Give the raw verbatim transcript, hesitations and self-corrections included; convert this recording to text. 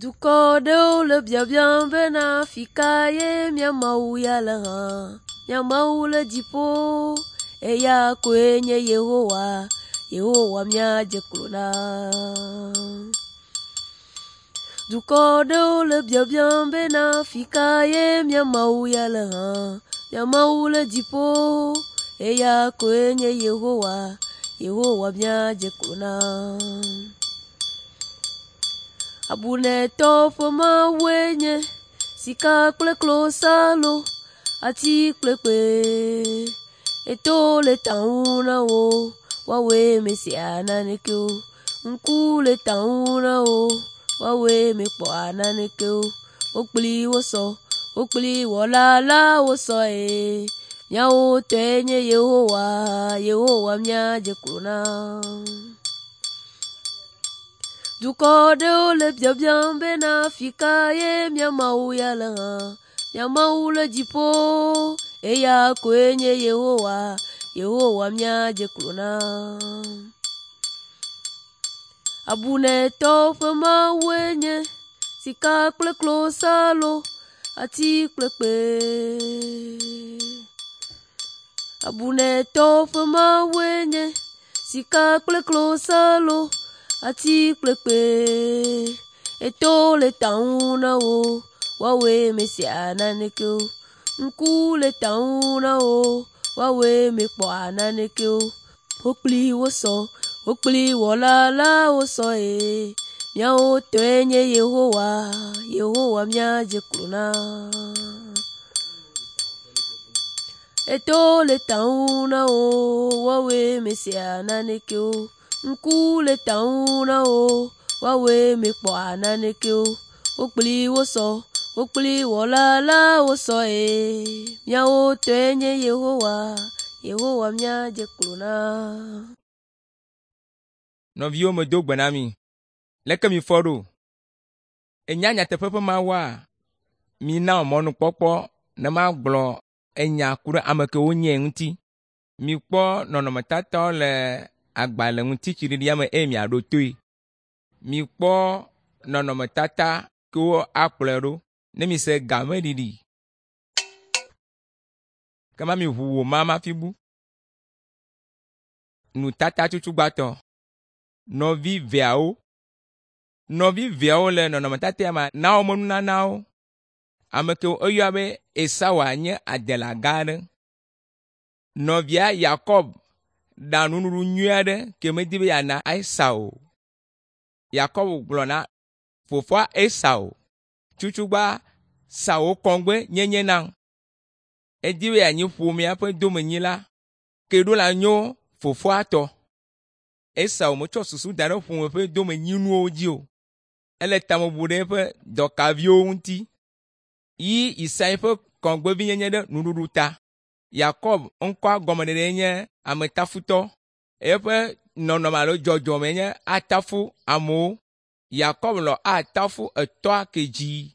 Dukɔ ɖewo le biabiam bena afi ka ye mía Mawu ya le hã. Mía Mawu le dziƒo, eya koe nye Yehowa, Yehowa míadze klo na. Dukɔ ɖewo le biabiam bena afi ka ye mía Mawu ya le hã. Mía Mawu le dziƒo, eya koe nye Yehowa, Yehowa míadze klo na. Abunɛtɔwo ƒe Mawue nye sika kple klosalo, ati kple kpe. Eto le ta ŋu na wo, woawoe mesea naneke o. Ŋku le ta ŋu na wo, woawoe mekpɔa naneke o. Wo kpli wosɔ, wo kpli wɔla la wosɔ eye míawo tɔe nye Yehowa, Yehowa míadze klo na. Dukɔ ɖewo le biabiam bena afi ka ye mía Mawu ya le hã. Mía Mawu le dziƒo, eya koe nye Yehowa, Yehowa míadze klo na. Abunɛtɔwo ƒe Mawue nye sika kple klosalo, ati kple kpe. Abunɛtɔwo ƒe Mawue nye sika kple klosalo, ati kple kpe. Eto le ta ŋu na wo, woawoe mesea naneke o. Ŋku le ta ŋu na wo, woawoe mekpɔa naneke o. Wo kpli wosɔ, wo kpli wɔla la wosɔ eye míawo tɔe nye Yehowa, Yehowa míadze klo na. Eto le ta ŋu na wo, woawoe mesea naneke o. Ŋku le ta ŋu na wo, woawoe mekpɔa naneke o. Wo kpli wosɔ, wo kpli wɔla la wosɔ eye míawo tɔe nye Yehowa, Yehowa míadze klo na. Nɔviwo medo gbe na mi. Leke mifɔ ɖo? Ènya nyateƒe ƒe Mawua? Mina mɔnukpɔkpɔ ne magblɔ enya ku ɖe ame kewo nyae ŋuti. Mikpɔ nɔnɔmetatawo le agbalẽ ŋutitsiɖiɖia me eye miaɖo toe. Mikpɔ nɔnɔmetata kewo akplɔe ɖo ne mise gameɖiɖi. Kema miʋu wò ma hafi bu. Nutata tutugbãtɔ. Nɔvi veawo. Nɔvi veawo le nɔnɔmetata ya me na woƒe nunanawo. Ame kewo woyɔna be Esau nye adela gã aɖe. Nɔvia Yakob ɖa nuɖuɖu nyui aɖe ke medi be yeana Esau o. Yakob gblɔ na fofoa Esau, “Tutugbã sa wò kɔŋgbe nyenye nam.” Edi be yeanyi ƒomea ƒe domenyila ke ɖo la nyo fofoa tɔ. Esau metsɔ susu da ɖe ƒome ƒe domenyinuwo dzi o. Ele ta me bum ɖe eƒe dɔkaviwo ŋuti. Yi Isai ƒe kɔŋgbevinyenye ɖe nuɖuɖu ta. Yakob ŋkɔa gɔmeɖeɖe nye ametafutɔ. Eƒe nɔnɔme alo dzɔdzɔme nye atafu amewo. Yakob lɔ̃ atafu etɔa ke dzi.